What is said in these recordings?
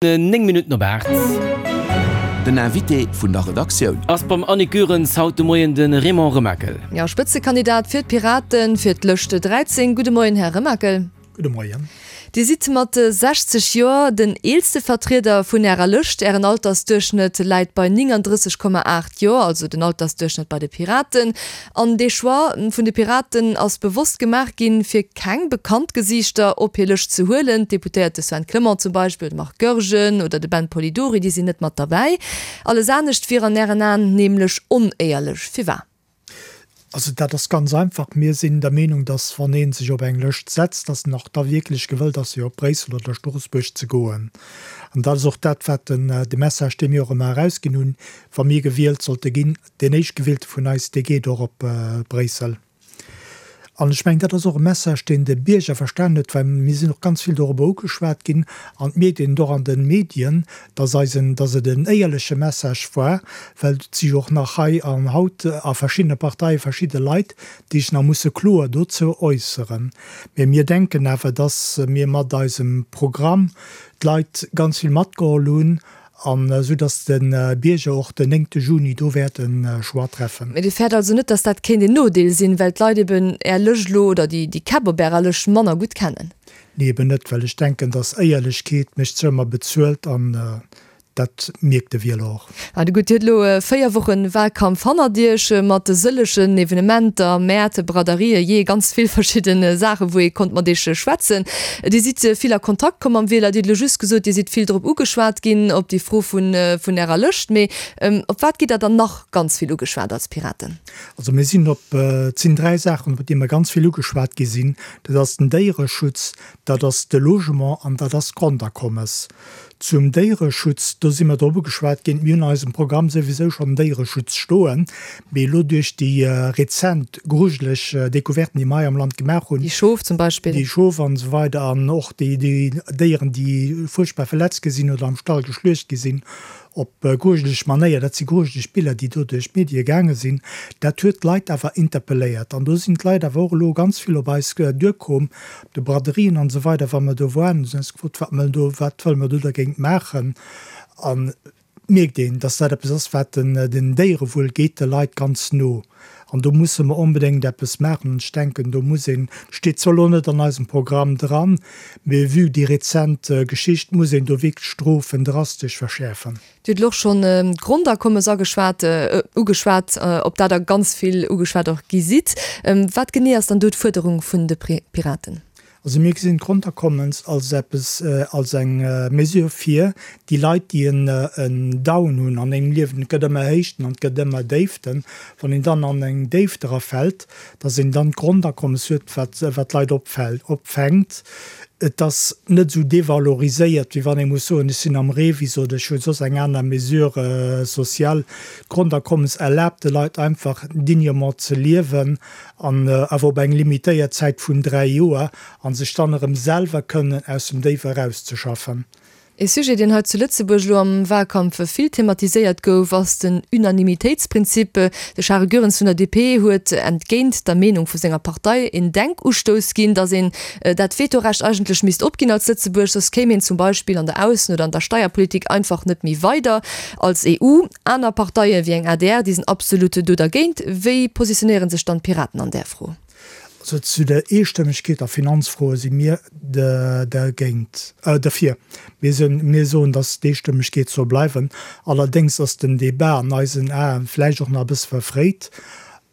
9 Minutten op 8. Den Invité vun der Redaktioun. Ass beim Annick Goerens haut de Moien de Raymond Remakel. Jo, Spëtzekandidat fir d'Piraten fir d'Lëscht 13. Gudde Moien, Här Remakel. Gudde Moien. Dir sidd mat 60 Joer den eelste Vertrieder vun Ärer Lëscht. Ären Altersduerchschnëtt läit bei 39,8 Joer, also den Altersduerchschnëtt bei de Piraten. An dee Choix vun de Piraten ass bewosst gemaach ginn, fir keng bekannt Gesiichter op hir Lëscht ze huelen. D'Deputéierte Sven Clement zum Beispill, de Marc Goergen oder de Ben Polidori, déi sinn net mat derbäi. Alles anescht wier an Ären Aen nämlech onéierlech. Firwat? Also dat ass ganz einfach, Mir sinn der Meenung, datt wann ee sech op eng Lëscht setzt, datt en och da wierklech gewëllt ass, fir op Bréissel oder Stroossbuerg ze goen. An dat ass och dat, wat den, de Message, dee mir och ëmmer erausginn hunn, wa mir gewielt sollte ginn, Deen Éischtgewielte vun eis, dee geet och op Bréissel. An ech mengen, dat ass och e Message, deen de Bierger verstanen huet, well mir sinn och ganz vill dorobber ugeschwat ginn, an et mierkt een et och an de Medien, dass eisen, dass et en éierleche Message war, well et si jo och nach hei an haut a verschiddene Parteie verschidde Leit, déi sech nach musse kloer dozou äusseren. Mä mir denken awer, dass mir mat eisem Programm d'Leit ganz vill matgeholl hunn An esou dass de Bierger och den néngte Juni do wäert e Choix treffen. Mee Dir fäert also net, dass dat kéint een Nodeel sinn, well d'Leit eben Är Lëscht elo oder déi Käpp op Ärer Lëscht manner gutt kennen? Nee, eben net, well ech denken, dass Éierlechkeet mécht zwar ëmmer bezuelt an dat mierkt de Wieler och. Also gutt, Dir hutt elo 4 Wochen Wahlkampf hannert Iech, mat sëllegen Evenementer, Mäert, Braderien, jee ganz vill verschidden Saachen, wou ee konnt mat Iech schwätzen. Dir sidd vill a Kontakt komm mam Wieler. Dir hutt elo just gesot, Dir sidd vill drop ugeschwat ginn, op déi Fro vun Ärer Lëscht. Mee op wat gitt Der dann nach ganz vill ugeschwat als Piraten? Also mir sinn op, et sinn 3 Saachen, op déi mer ganz vill ugeschwat gi sinn. Dat ass den Déiereschutz, dat ass de Logement an dat ass d'Grondakommes. Zum Déiereschutz, do si mer drop ugeschwat ginn. Mir hunn an eisem Programm souwisou schonn den Déiereschutz stoen, mee elo duerch déi rezent grujeleg Découverten, déi mer hei am Land gemaach hunn, Déi Schof zum Beispill. Déi Schof an esou weider an och déi Déieren, déi fuerchtbar verletzt gi sinn oder am Stall geschluecht gi sinn op grujeleg Manéier, dat si grujeleg Biller, déi do duerch d'Medie gaange sinn, dat huet d'Leit awer interpelléiert. An do sinn d'Leit awer och elo ganz vill op eis duerkomm, op de Braderien an esou weider, wa mer do waren, hu se eis gefrot, wat mer do, wat wëlle mer do dergéint maachen. An et mierkt een, dass dat eppes ass, wat den, den Déierewuel geet de Leit ganz no. An do musse mer onbedéngt eppes maachen. An ech denken, do muss een, steet zwar elo net an eisem Programm dran, mee vue déi rezent Geschicht muss een do wierklech d'Strofen drastesch verschäerfen. Dir hutt elo och schonn d'Grondakommes ageschwat, ugeschwat, op dat Der ganz vill ugeschwat och gi sidd. Wat genee ass dann do d'Fuerderung vun de Piraten? Also mir gesinn d'Grondakommens als eppes, als eng Mesure fir déi Leit, déi en Down hunn an engem Liewen. Et gëtt ëmmer Héichten an et gëtt ëmmer Déiften. Wann een dann an eng Déift erafält, dass een dann d'Grondakommes huet, wat d'Leit opfänkt. Et ass net esou devaloriséiert, wéi wann ee muss soen, ech sinn am REVIS oder ech hu soss eng aner Mesure sociale. D'Grondakommes erlaabt de Leit einfach dignement ze liewen an awer op eng limitéiert Zäit vun 3 Joer, a sech dann erëm selwer kënnen aus dem Déif erauszeschaffen. Ee Sujet, deen hei zu Lëtzebuerg elo am Wahlkampf vill thematiséiert gouf, ass den Unanimitéitsprinzip. De Charel Goerens vun der DP huet entgéint der Meenung vu senger Partei een Denkustouss ginn, datt een dat Vetorecht eigentlech misst opginn als Lëtzebuerg, soss kéim een zum Beispill an der Aussen oder an der Steierpolitik einfach net méi weider als EU. Aner Parteien, wéi eng adr, déi sinn absolut do dergéint. Wéi positionéiere sech dann d'Piraten an där Fro? Also zu der Eestëmmegkeet a Finanzfroe si mir dergéint, derfir. Mir sinn, mir soen, datt d'Eestëmmegkeet soll bleiwen. Allerdéngs ass den Débat an eisen Aen vläicht och nach e bësse verfréit.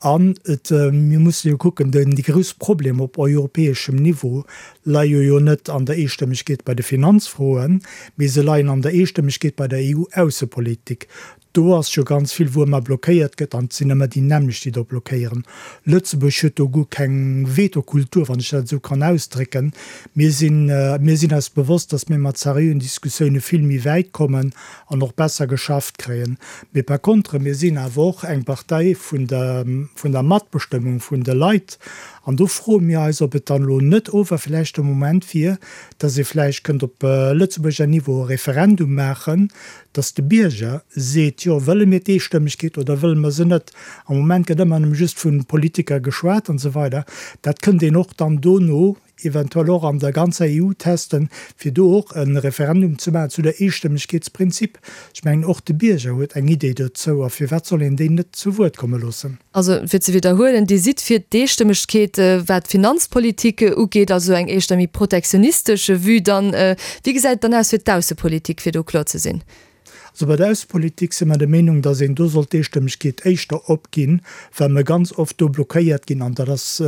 An et, mir musse jo kucken, den, déi grouss Problemer op europäeschem Niveau leie jo net an der Eestëmmegkeet bei de Finanzfroen, mee se leien an der Eestëmmegkeet bei der EU-Aussepolitik. Do ass jo ganz vill, wou ëmmer blockéiert gëtt, an et sinn ëmmer déi nämmlecht, déi do blockéieren. Lëtzebuerg huet do guer keng Vetokultur, wann ech dat esou kann ausdrécken. Mir sinn, mir sinn eis bewosst, datt mir mat seriöen Diskussioune vill méi wäit kommen an och besser geschafft kréien. Mee par contre, mir sinn awer och eng Partei vun der, vun der Matbestëmmung vun de Leit. An do froe mir eis, ob et dann elo net ower vläicht de Moment wier, datt ee vläicht kënnt op Lëtzebuerger Niveau e Referendum maachen, dass de Bierger seet. seet, jo, wëlle mir d'Eestëmmegkeet oder wëlle mer se net? Am Moment gëtt ëmmer nëmme just vu Politiker geschwat an esou weider. Dat kënnt een och dann dono eventuell och an der ganzer EU testen, fir do och e Referendum ze maachen zu der Eestëmmegkeetsprinzip. Ech mengen, och de Bierger huet eng Idee dozou a firwat soll een deen net zu Wuert komme loossen? Also, fir ze widderhuelen, Dir sidd fir d'Eestëmmegkeet, wat d'Finanzpolitik ugeet, also eng éischter méi protektionistesch Vue dann. Wéi gesäit et dann aus fir d'Aussepolitik, fir do kloer ze sinn? Also bei der Aussepolitik si mer der Meenung, datt een do sollt d'Eestëmmegkeet éischter opginn, well mer ganz oft do blockéiert ginn an dat ass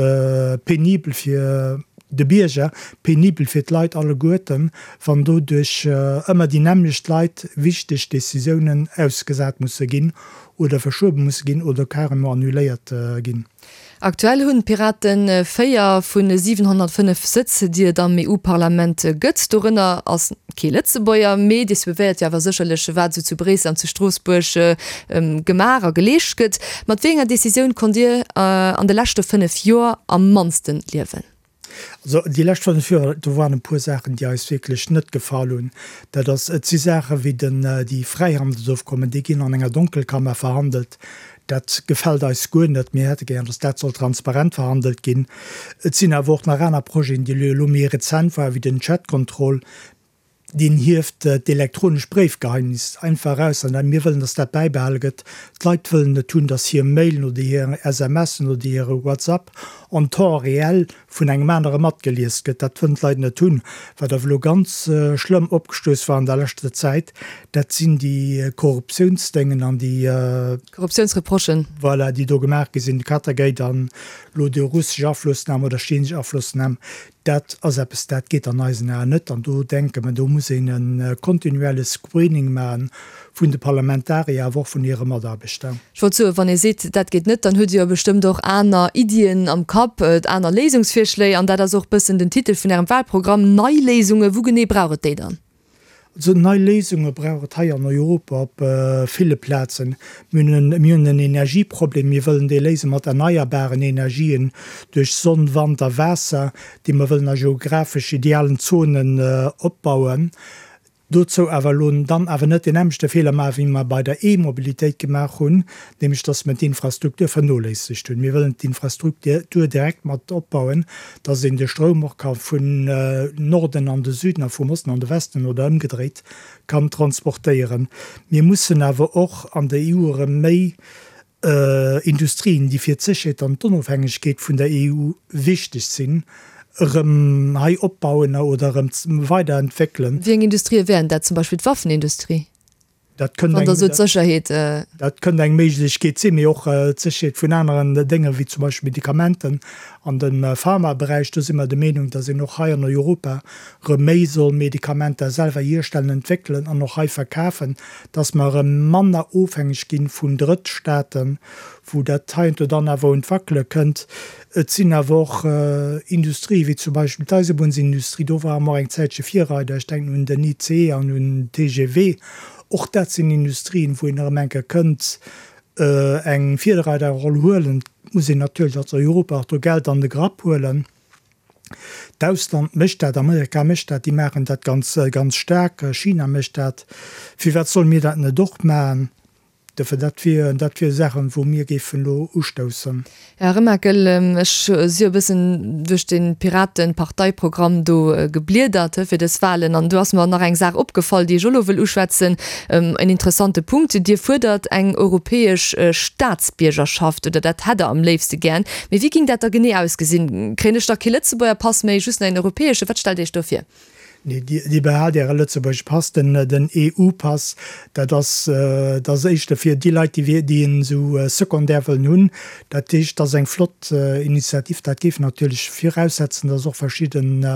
penibel fir de Bierger, penibel fir d'Leit alleguerten, wann do duerch ëmmer déi nämmlecht Leit wichteg Décisiounen ausgesat musse ginn oder verschuebe musse ginn oder carrément annuléiert ginn. Aktuell hunn d'Piraten 4 vu 705 Sëtz, déi et am EU-Parlament gëtt. Dorënner ass kee Lëtzebuerger, mee Dir suivéiert jo awer sécherlech, wat esou zu Bréissel an zu Stroossbuerg gemaach a geleescht gëtt. Mat wéi enger Decisioun konnt Dir an de leschte 5 Joer am mannste liewen? Also déi lescht 5 Joer, do waren e puer Saachen, déi eis wierklech net gefall hunn. Dat ass, et si Saache wéi den, déi Fräihandelsofkommen, déi ginn an enger Donkelkammer verhandelt. Dat gefält eis guer net. Mir hätte gären, datt dat soll transparent verhandelt ginn. Et sinn awer och nach aner Projeten, déi elo méi rezent waren, wéi den Chatcontrol. Deen hieft d'elektronesch Bréifgeheimnis einfach eraus an mir wëllen, dass dat bäibehale gëtt. D'Leit wëllen net hunn, dass hir Mailen oder hir SMSen oder hire WhatsApp en temps réel vun engem anere matgelies gëtt. Dat wëllen d'Leit net hunn. Wat awer elo ganz schlëmm opgestouss war an der leschter Zäit, dat sinn déi Korruptiounsdéngen an déi. Korruptiounsreprochen. Voilà, déi do gemaach gi sinn, de Qatargate an elo déi russesch Aflossnam oder chinesesch Aflossnam. Dat ass eppes, dat geet an eisen Aen net. An do denke mer, do muss een e kontinuelle Screening maache vun de Parlamentarier, awer och vun hire Mataarbechter. Ech wollt soen, wann ee seet, dat geet net, dann huet Dir jo bestëmmt och aner Iddien am Kapp, aner Léisungsvirschléi. An dat ass och e bëssen den Titel vun Ärem Wahlprogramm, Nei Léisungen. Wou genee brauch et déi dann? Also nei Léisunge brauch et hei an Europa op ville Plazen. Mir hunn en Energieproblem, mir wëllen dee léise mat erneierbaren Energien duerch Sonn, Wand a Waasser, déi mer wëllen a geographesch idealen Zonen opbauen. Dozou awer elo dann awer net deen nämmlechte Feeler maachen, wéi mer bei der E-Mobilitéit gemaach hunn, nämlech dass mer d'Infrastruktur vernoléissegt hunn. Mir wëllen d'Infrastruktur direkt mat opbauen, dass een de Stroum och ka vun Norden an de Süden a vum Osten an de Westen oder ëmgedréit kann transportéieren. Mir mussen awer och an der EU erëm méi Industrien, déi fir d'Sécherheet an d'Onofhängegkeet vun der EU wichteg sinn, erëm hei opbauen oder erëm weiderentwéckelen. Wéi eng Industrië wären dat? Zum Beispill d'Waffenindustrie? Dat kënnt eng, dat, dat kënnt eng Méiglechkeet sinn, mee och d'Sécherheet vun aneren Dénge wéi zum Beispill Medikamenten an dem Pharmaberäich. Do si mer der Meenung, datt een och hei an Europa erëm méi soll Medikamenter selwer hierstellen, entwéckelen an och hei verkafen, datt mer erëm manner ofhängeg gi vun Drëttstaaten, wou dat heiansdo dann awer un d'Wackele kënnt. Et sinn awer och Industrië wéi zum Beispill d'Eisebunnsindustrie, do ware mer och eng Zäitche Virreider, ech denken un den ICE an un den TGV. Och dat sinn Industrien, wou een erëm eng Kéier kënnt eng Virreiderroll huelen. Et muss een natierlech als Europa och do Geld an de Grapp huelen. D'Ausland mécht dat, Amerika mécht dat, déi maachen dat ganz, ganz staark, China mécht dat. Firwat solle mir dat net och maachen? Dofir, dat wier, dat wier Saachen, wou mir géifen elo ustoussen. Här Remakel, ech si jo e bëssen duerch de Piraten-Parteiprogramm do gebliedert fir dës Wahlen an do ass mer nach eng Saach opgefall, déi ech och elo wëll uschwätzen, en interessante Punkt, Dir fuerdert eng europäesch Staatsbiergerschaft, oder dat hätt Der am léifste gären. Mee wéi géing dat da genee ausgesinn? Kréien ech da kee Lëtzebuerger Pass méi, just nach een europäesche? Wat stellt Dir Iech do vir? Nee, Dir behaalt Äre Lëtzebuergesche Pass, den EU-Pass, dat ass, dat ass éischter fir déi Leit, déi, déi en esou secondaire wëllen hunn. Dat heescht, dat ass eng flott Initiativ. Dat géif natierlech viraussetzen, dass och verschidden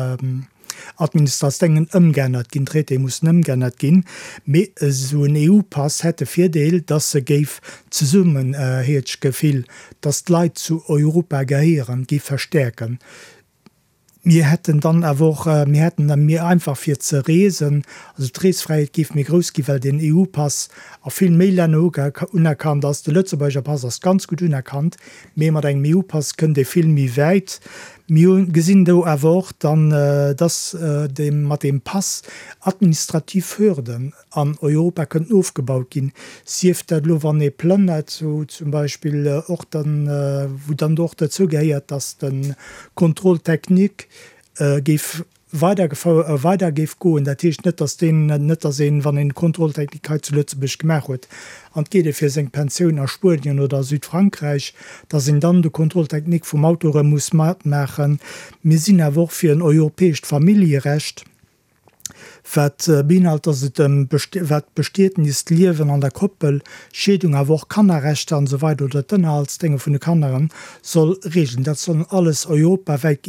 Administratioune ëmgeännert ginn, Traitéë mussen ëmgeännert ginn. Mee esou en EU-Pass hätt de Virdeel, dass e géif d'Zesummenheetsgefill, dass d'Leit zu Europa gehéieren, géif verstäerken. Mir hätten dann awer och, mir hätten da méi einfach fir ze reesen, also d'Reesfräiheet géif méi grouss ginn, well den EU-Pass a vill méi Länner unerkannt ass. De Lëtzebuerger Pass ass ganz gutt unerkannt, mee mat engem EU-Pass kënnt ee vill méi wäit. Mir gesinn do awer och dann, dass mat deem Pass administrativ Hürden an Europa kënnten ofgebaut ginn, sief dat elo wann ee plënnert, wou zum Beispill och dann, wou dann och dozou gehéiert, dass de Contrôle technique géif weidergefou weider géif goen. Dat heescht net, dass deen, net dass een, wann een Contrôle technique hei zu Lëtzebuerg gemaach huet an et geet ee fir seng Pensioun a Spuenien oder a Südfrankräich, dass een dann de Contrôle technique vum Auto erëm muss matmaachen. Mir sinn awer och fir en europäescht Familljerecht. Wat beinhalt, dass et ëm wat d'Bestietnis, d'Liewen an der Koppel, Scheedung, awer och Kannerrechter an esou weider oder d'Ënnerhaltsdénge vun de Kanneren soll regeln. Dat soll alles europawäit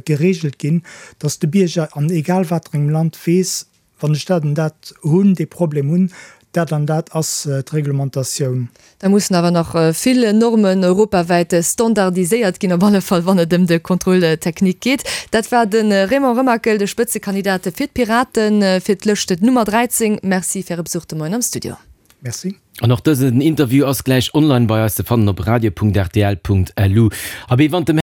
geregelt ginn, dass de Bierger an egal waterengem Land weess, wann ech dat an dat hunn, dee Problem hunn, dat an dat ass d'Reglementatioun. Da mussen awer nach vill Normen europawäit standardiséiert ginn, op alle Fall wann et ëm de Contrôle technique geet. Dat war de Raymond Remakel, de Spëtzekandidat fir d'Piraten fir d'Lëscht Nummer 13. Merci fir Äre Besuch de Moien am Studio. Merci. An och dësen Interview ass gläich online bei eis ze fannen op radio.rtl.lu. Abee, wann dem.